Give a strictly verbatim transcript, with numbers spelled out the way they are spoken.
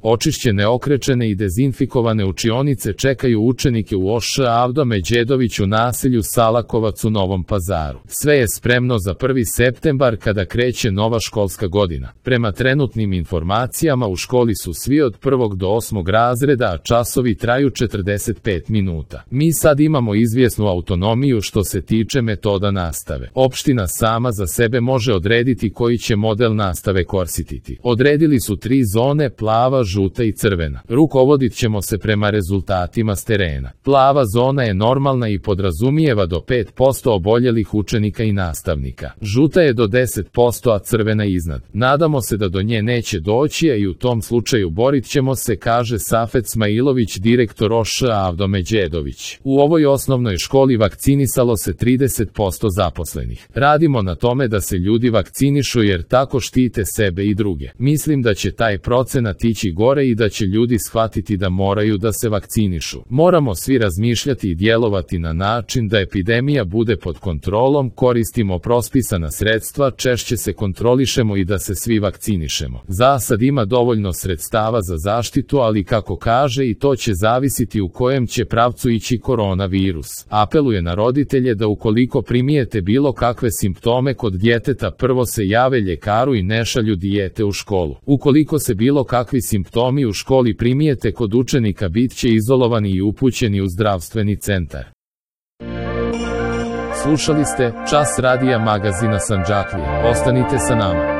Očišćene, okrečene i dezinfikovane učionice čekaju učenike u O Š Avdo Međedović u naselju Salakovac u Novom Pazaru. Sve je spremno za prvi septembar kada kreće nova školska godina. Prema trenutnim informacijama u školi su svi od prvog do osmog razreda, a časovi traju četrdeset pet minuta. Mi sad imamo izvjesnu autonomiju što se tiče metoda nastave. Opština sama za sebe može odrediti koji će model nastave koristiti. Odredili su tri zone: plava, žuta i crvena. Rukovodit ćemo se prema rezultatima s terena. Plava zona je normalna i podrazumijeva do pet posto oboljelih učenika i nastavnika. Žuta je do deset posto, a crvena iznad. Nadamo se da do nje neće doći, a i u tom slučaju borit ćemo se, kaže Safet Smailović, direktor O Š Avdo Međedović. U ovoj osnovnoj školi vakcinisalo se trideset posto zaposlenih. Radimo na tome da se ljudi vakcinišu jer tako štite sebe i druge. Mislim da će taj procenat ići gore i da će ljudi shvatiti da moraju da se vakcinišu. Moramo svi razmišljati i djelovati na način da epidemija bude pod kontrolom, koristimo prospisana sredstva, češće se kontrolišemo i da se svi vakcinišemo. Za sad ima dovoljno sredstava za zaštitu, ali kako kaže, i to će zavisiti u kojem će pravcu ići koronavirus. Apeluje na roditelje da ukoliko primijete bilo kakve simptome kod djeteta, prvo se jave ljekaru i ne šalju dijete u školu. Ukoliko se bilo kakvi simptomi u školi primijete kod učenika, bit će izolovani i upućeni u zdravstveni centar. Slušali ste Čas radija magazina Sandžaklija. Ostanite sa nama.